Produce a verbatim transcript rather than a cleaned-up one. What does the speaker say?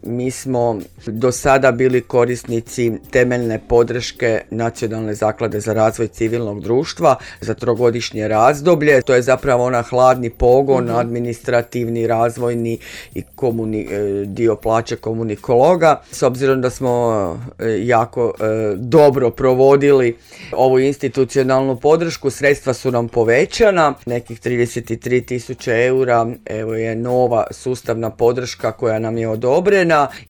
mi smo do sada bili korisnici temeljne podrške Nacionalne zaklade za razvoj civilnog društva za trogodišnje razdoblje. To je zapravo ona hladni pogon, mm-hmm. administrativni, razvojni i komuni, dio plaće komunikologa. S obzirom da smo jako e, dobro provodili ovu institucionalnu podršku, sredstva su nam povećana, nekih trideset tri tisuće eura, evo je nova sustavna podrška koja nam je odobrena